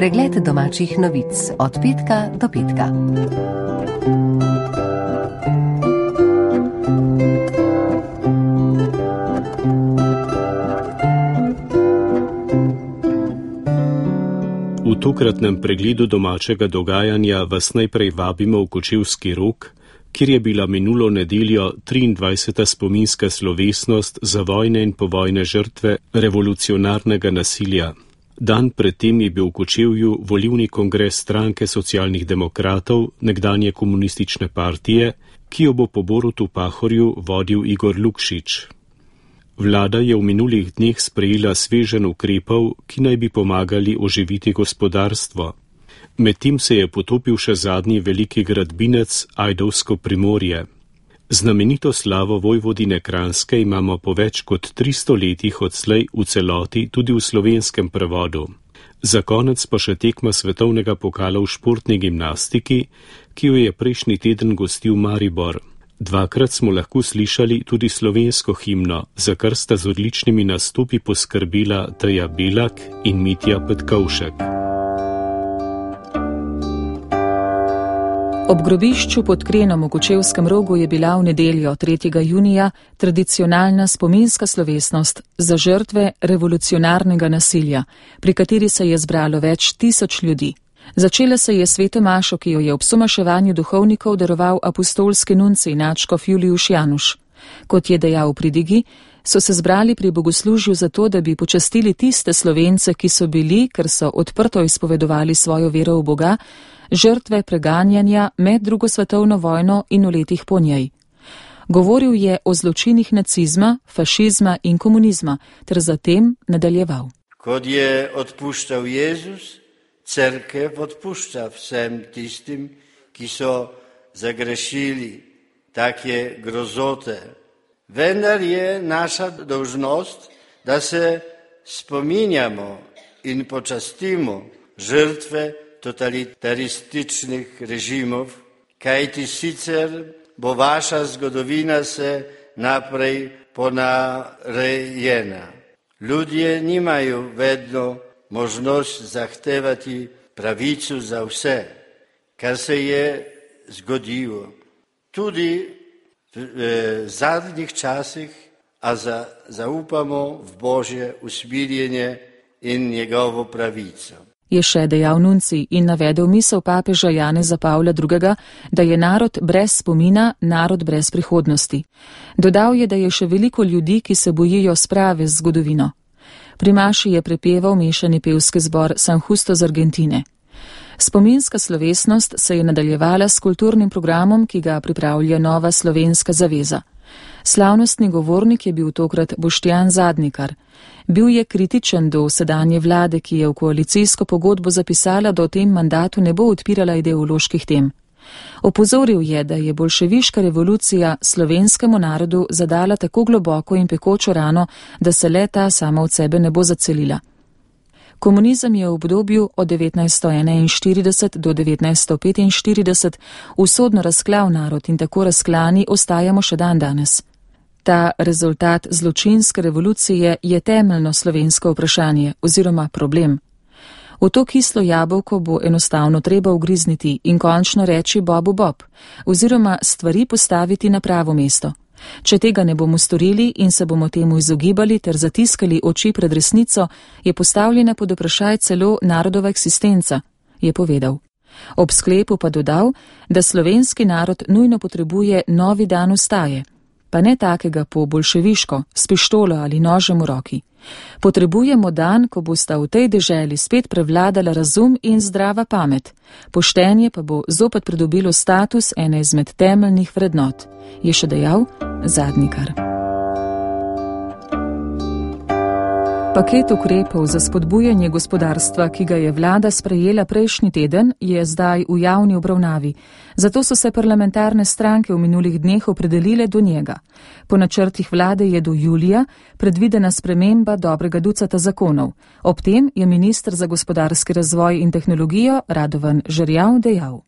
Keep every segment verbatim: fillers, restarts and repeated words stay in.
Pregled domačih novic od petka do petka. V tokratnem pregledu domačega dogajanja vas najprej vabimo v Kočevski Rog, kjer je bila minulo nedeljo triindvajseta spominska slovesnost za vojne in povojne žrtve revolucionarnega nasilja. Dan predtem je bil v Kočevju volilni kongres stranke socialnih demokratov, nekdanje komunistične partije, ki jo bo po Borutu Pahorju vodil Igor Lukšič. Vlada je v minulih dneh sprejela sveženj ukrepov, ki naj bi pomagali oživiti gospodarstvo. Medtem se je potopil še zadnji veliki gradbinec Ajdovsko Primorje. Znamenito slavo Vojvodine Kranjske imamo po več kot tristo letih odslej v celoti tudi v slovenskem prevodu. Za konec pa še tekma svetovnega pokala v športni gimnastiki, ki jo je prejšnji teden gostil Maribor. Dvakrat smo lahko slišali tudi slovensko himno, za kar sta z odličnimi nastopi poskrbila Teja Belak in Mitja Petkovšek. Ob grobišču pod Krenom v Kočevskem Rogu je bila v nedeljo tretjega junija tradicionalna spominska slovesnost za žrtve revolucionarnega nasilja, pri kateri se je zbralo več tisoč ljudi. Začela se je sveto mašo, ki jo je ob somaševanju duhovnikov daroval apostolski nuncij nadškof Julijuš Januš. Kot je dejal v pridigi, so se zbrali pri bogoslužju zato, da bi počastili tiste Slovence, ki so bili, ker so odprto izpovedovali svojo vero v Boga, žrtve preganjanja med drugo svetovno vojno in v letih po njej. Govoril je o zločinih nacizma, fašizma in komunizma, ter zatem nadaljeval. Kot je odpuščal Jezus, cerkev odpušča vsem tistim, ki so zagrešili take grozote. Vendar je naša dolžnost, da se spominjamo in počastimo žrtve totalitarističnih režimov, kajti sicer bo vaša zgodovina se naprej ponarejena. Ljudje nimajo vedno možnost zahtevati pravico za vse, kar se je zgodilo. Tudi v zadnjih časih, a za, zaupamo v Božje usmiljenje in njegovo pravico. Je še dejal nuncij in navedel misel papeža Janeza Pavla drugega, da je narod brez spomina, narod brez prihodnosti. Dodal je, da je še veliko ljudi, ki se bojijo sprave z zgodovino. Pri maši je prepeval mešani pevski zbor San Justo z Argentine. Spominska slovesnost se je nadaljevala s kulturnim programom, ki ga pripravlja Nova slovenska zaveza. Slavnostni govornik je bil tokrat Boštjan Zadnikar. Bil je kritičen do sedanje vlade, ki je v koalicijsko pogodbo zapisala, da v tem mandatu ne bo odpirala ideoloških tem. Opozoril je, da je bolševiška revolucija slovenskemu narodu zadala tako globoko in pekočo rano, da se le ta sama od sebe ne bo zacelila. Komunizem je v obdobju od devetnajststo enainštirideset do devetnajststo petinštirideset usodno razklal narod in tako razklani ostajamo še dan danes. Ta rezultat zločinske revolucije je temeljno slovensko vprašanje oziroma problem. V to kislo jabolko bo enostavno treba ugrizniti in končno reči Bobu Bob oziroma stvari postaviti na pravo mesto. Če tega ne bomo storili in se bomo temu izogibali ter zatiskali oči pred resnico, je postavljena pod vprašaj celo narodova eksistenca, je povedal. Ob sklepu pa dodal, da slovenski narod nujno potrebuje novi dan vstaje, pa ne takega po bolševiško, s pištolo ali nožem v roki. Potrebujemo dan, ko bosta v tej deželi spet prevladala razum in zdrava pamet. Poštenje pa bo zopet pridobilo status ene izmed temeljnih vrednot, je še dejal Zadnikar. Paket ukrepov za spodbujanje gospodarstva, ki ga je vlada sprejela prejšnji teden, je zdaj v javni obravnavi. Zato so se parlamentarne stranke v minulih dneh opredelile do njega. Po načrtih vlade je do julija predvidena sprememba dobrega ducata zakonov. Ob tem je minister za gospodarski razvoj in tehnologijo Radovan Žerjav dejal.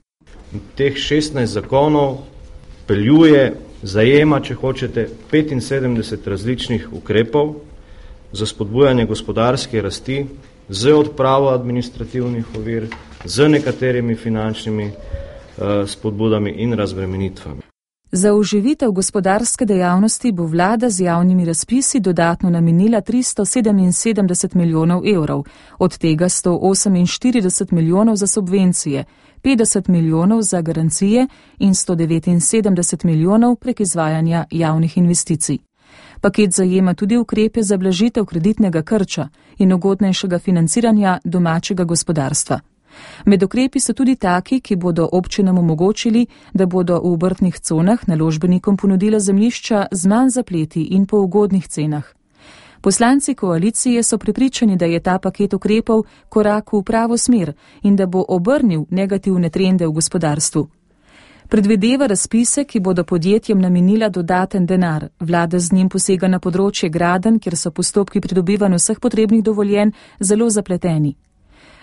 Teh šestnajst zakonov peljuje, zajema, če hočete, petinsedemdeset različnih ukrepov za spodbujanje gospodarske rasti z odpravo administrativnih ovir, z nekaterimi finančnimi uh, spodbudami in razbremenitvami. Za oživitev gospodarske dejavnosti bo vlada z javnimi razpisi dodatno namenila tristo sedeminsedemdeset milijonov evrov, od tega sto oseminštirideset milijonov za subvencije, petdeset milijonov za garancije in sto devetinsedemdeset milijonov prek izvajanja javnih investicij. Paket zajema tudi ukrepe za blažitev kreditnega krča in ugodnejšega financiranja domačega gospodarstva. Med ukrepi so tudi taki, ki bodo občinam omogočili, da bodo v obrtnih conah naložbenikom ponudila zemljišča z manj zapleti in po ugodnih cenah. Poslanci koalicije so prepričani, da je ta paket ukrepov korak v pravo smer in da bo obrnil negativne trende v gospodarstvu. Predvideva razpise, ki bodo podjetjem namenila dodaten denar. Vlada z njim posega na področje gradenj, kjer so postopki pridobivanja vseh potrebnih dovoljenj zelo zapleteni.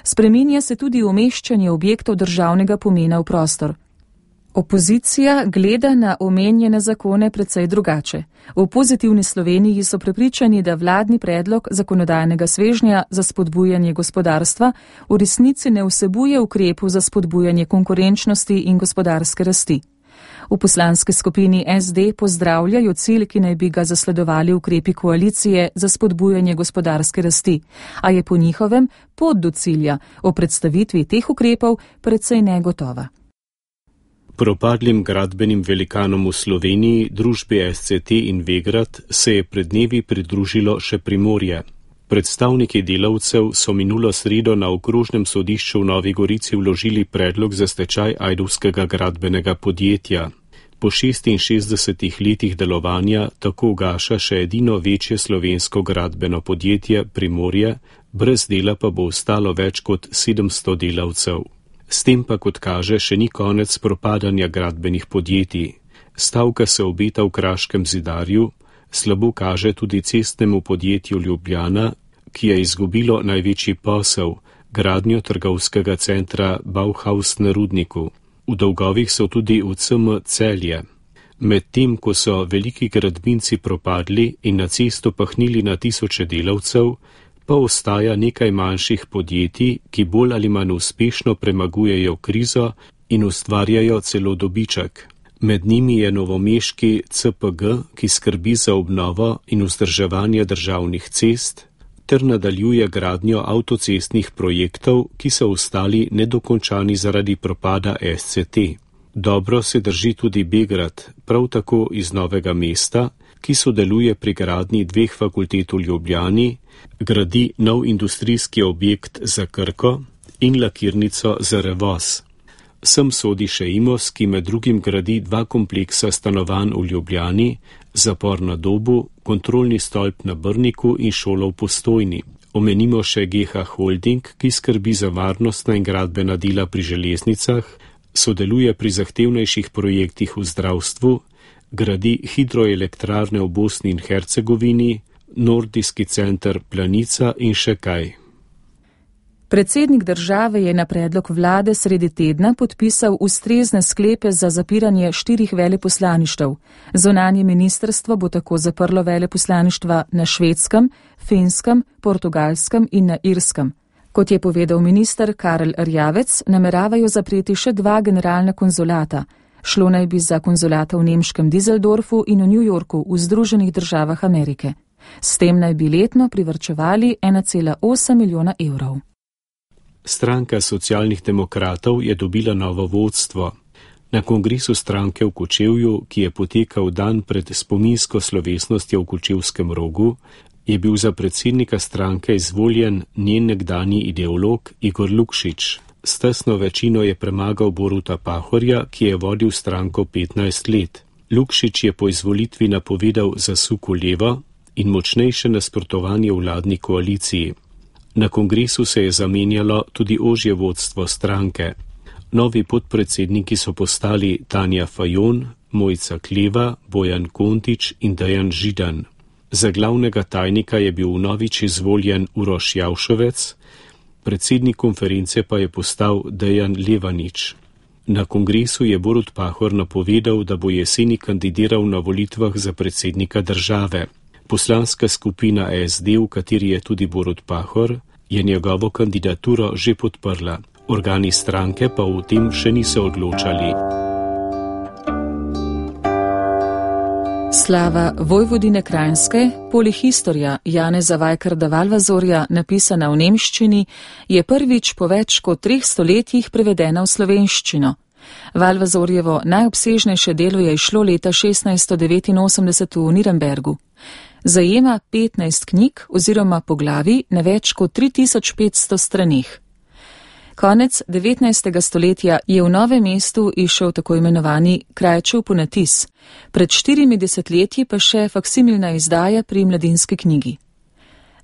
Spreminja se tudi umeščanje objektov državnega pomena v prostor. Opozicija gleda na omenjene zakone precej drugače. V Pozitivni Sloveniji so prepričani, da vladni predlog zakonodajnega svežnja za spodbujanje gospodarstva v resnici ne vsebuje ukrepov za spodbujanje konkurenčnosti in gospodarske rasti. V poslanski skupini S D pozdravljajo cilj, ki naj bi ga zasledovali ukrepi koalicije za spodbujanje gospodarske rasti, a je po njihovem pot do cilja o predstavitvi teh ukrepov precej negotova. Propadlim gradbenim velikanom v Sloveniji, družbi S C T in Vegrad, se je pred dnevi pridružilo še Primorje. Predstavniki delavcev so minulo sredo na okrožnem sodišču v Novi Gorici vložili predlog za stečaj ajdovskega gradbenega podjetja. Po šestinšestdesetih letih delovanja tako ugaša še edino večje slovensko gradbeno podjetje Primorje, brez dela pa bo ostalo več kot sedemsto delavcev. S tem pa, kot kaže, še ni konec propadanja gradbenih podjetij. Stavka se obeta v Kraškem zidarju, slabo kaže tudi cestnemu podjetju Ljubljana, ki je izgubilo največji posel, gradnjo trgovskega centra Bauhaus na Rudniku. V dolgovih so tudi v C M Celje. Medtem, ko so veliki gradbinci propadli in na cesto pahnili na tisoče delavcev, pa ostaja nekaj manjših podjetij, ki bolj ali manj uspešno premagujejo krizo in ustvarjajo celo dobiček. Med njimi je novomeški C P G, ki skrbi za obnovo in vzdrževanje državnih cest, ter nadaljuje gradnjo avtocestnih projektov, ki so ostali nedokončani zaradi propada S C T. Dobro se drži tudi Begrad, prav tako iz Novega mesta, ki sodeluje pri gradnji dveh fakultet v Ljubljani, gradi nov industrijski objekt za Krko in lakirnico za Revoz. Sem sodi še Imos, ki med drugim gradi dva kompleksa stanovanj v Ljubljani, zapor na Dobu, kontrolni stolp na Brniku in šolo v Postojni. Omenimo še G H Holding, ki skrbi za varnostna in gradbena dela pri železnicah, sodeluje pri zahtevnejših projektih v zdravstvu, gradi hidroelektrarne v Bosni in Hercegovini, nordijski center Planica in še kaj. Predsednik države je na predlog vlade sredi tedna podpisal ustrezne sklepe za zapiranje štirih veleposlaništev. Zunanje ministrstvo bo tako zaprlo veleposlaništva na Švedskem, Finskem, Portugalskem in na Irskem. Kot je povedal minister Karel Rjavec, nameravajo zapreti še dva generalna konzulata. Šlo naj bi za konzulata v nemškem Düsseldorfu in v New Yorku v Združenih državah Amerike. S tem naj bi letno privarčevali ena cela osem milijona evrov. Stranka socialnih demokratov je dobila novo vodstvo. Na kongresu stranke v Kočevju, ki je potekal dan pred spominsko slovesnostjo v Kočevskem rogu, je bil za predsednika stranke izvoljen njen nekdanji ideolog Igor Lukšič. S tesno večino je premagal Boruta Pahorja, ki je vodil stranko petnajst let. Lukšič je po izvolitvi napovedal zasuk v levo in močnejše nasprotovanje vladni koaliciji. Na kongresu se je zamenjalo tudi ožje vodstvo stranke. Novi podpredsedniki so postali Tanja Fajon, Mojca Kleva, Bojan Kontič in Dejan Židan. Za glavnega tajnika je bil vnovič izvoljen Uroš Javšovec, predsednik konference pa je postal Dejan Levanič. Na kongresu je Borut Pahor napovedal, da bo jeseni kandidiral na volitvah za predsednika države. Poslanska skupina S D, v kateri je tudi Borut Pahor, je njegovo kandidaturo že podprla. Organi stranke pa o tem še niso odločali. Slava Vojvodine Kranjske, polihistorija Janeza Vajkarda Valvazorja, napisana v nemščini, je prvič po več kot treh stoletjih prevedena v slovenščino. Valvazorjevo najobsežnejše delo je izšlo leta šestnajststo devetinosemdeset v Nürnbergu. Zajema petnajst knjig oziroma poglavij na več kot tri tisoč petsto straneh. Konec devetnajstega stoletja je v Novem mestu izšel tako imenovani Krajčev ponatis, pred štirimi desetletji pa še faksimilna izdaja pri Mladinski knjigi.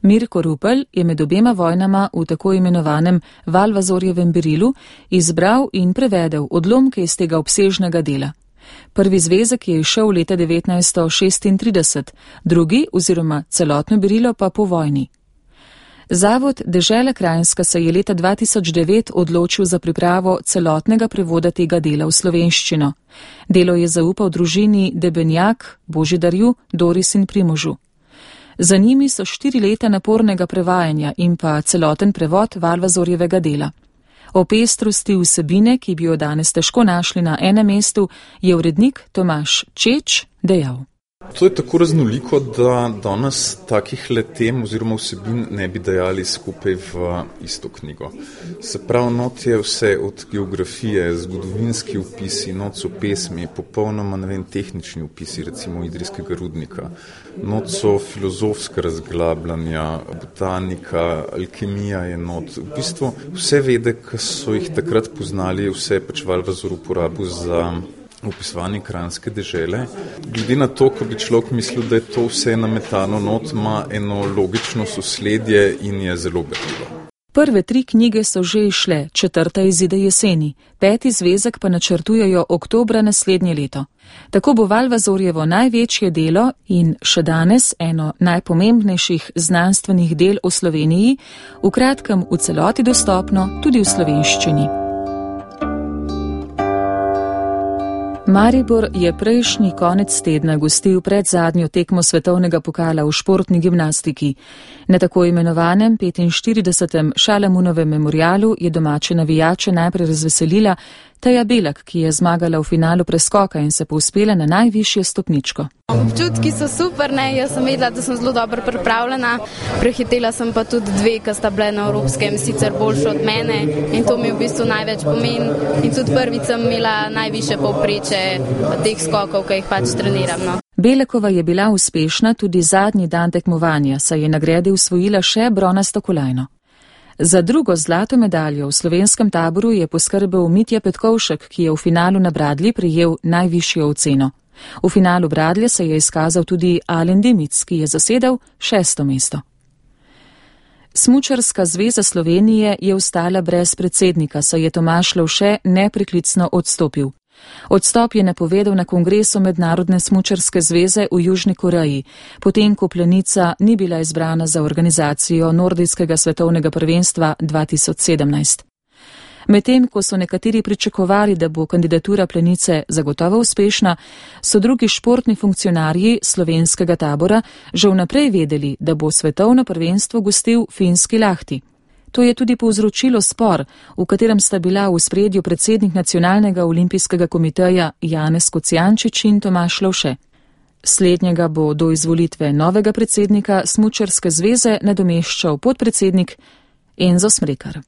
Mirko Rupel je med obema vojnama v tako imenovanem Valvazorjevem berilu izbral in prevedel odlomke iz tega obsežnega dela. Prvi zvezek je izšel leta devetnajststo šestintrideset, drugi oziroma celotno berilo pa po vojni. Zavod Dežela Kranjska se je leta dva tisoč devet odločil za pripravo celotnega prevoda tega dela v slovenščino. Delo je zaupal družini Debenjak, Božidarju, Doris in Primožu. Za njimi so štiri leta napornega prevajanja in pa celoten prevod Valvazorjevega dela. O pestrosti vsebine, ki bi jo danes težko našli na enem mestu, je urednik Tomaž Čeč dejal. To je tako raznoliko, da danes takih letem oziroma vsebin ne bi dajali skupaj v isto knjigo. Se pravi, not je vse od geografije, zgodovinski opisi, not so pesmi, popolnoma ne vem, tehnični opisi, recimo idrijskega rudnika. Not so filozofska razglabljanja, botanika, alkemija je not. V bistvu vse vede, ki so jih takrat poznali, vse pač Valvazor uporabil za opisovanje kranjske dežele. Glede na to, ko bi človek mislil, da je to vse nametano not, ima eno logično sosledje in je zelo berljivo. Prve tri knjige so že izšle, četrta izide jeseni, peti zvezek pa načrtujejo oktobra naslednje leto. Tako bo Valvazorjevo največje delo in še danes eno najpomembnejših znanstvenih del v Sloveniji v kratkem v celoti dostopno tudi v slovenščini. Maribor je prejšnji konec tedna gostil pred zadnjo tekmo svetovnega pokala v športni gimnastiki. Na tako imenovanem petinštiridesetem Šalamunovem memorialu je domače navijače najprej razveselila Teja Belak, ki je zmagala v finalu preskoka in se povzpela na najvišje stopničko. Občutki so super, ne? Jaz sem vedela, da sem zelo dobro pripravljena. Prehitela sem pa tudi dve, ki sta bile na evropskem sicer boljše od mene in to mi v bistvu največ pomeni. In tudi prvič sem imela najvišje povpreče teh skokov, ki jih pač treniram. No. Belekova je bila uspešna tudi zadnji dan tekmovanja, saj je nagrade usvojila še bronasto kolajno. Za drugo zlato medaljo v slovenskem taboru je poskrbel Mitja Petkovšek, ki je v finalu na bradlji prejel najvišjo oceno. V finalu bradlje se je izkazal tudi Alen Dimic, ki je zasedel šesto mesto. Smučarska zveza Slovenije je ostala brez predsednika, saj je Tomaž Lovše nepreklicno odstopil. Odstop je napovedal na kongresu Mednarodne smučarske zveze v Južni Koreji, potem ko Planica ni bila izbrana za organizacijo nordijskega svetovnega prvenstva dva tisoč sedemnajst. Medtem ko so nekateri pričakovali, da bo kandidatura Planice zagotovo uspešna, so drugi športni funkcionarji slovenskega tabora že vnaprej vedeli, da bo svetovno prvenstvo gostil finski Lahti. To je tudi povzročilo spor, v katerem sta bila v ospredju predsednik Nacionalnega olimpijskega komiteja Janez Kocijančič in Tomaž Lovše. Slednjega bo do izvolitve novega predsednika Smučarske zveze nadomeščal podpredsednik Enzo Smrekar.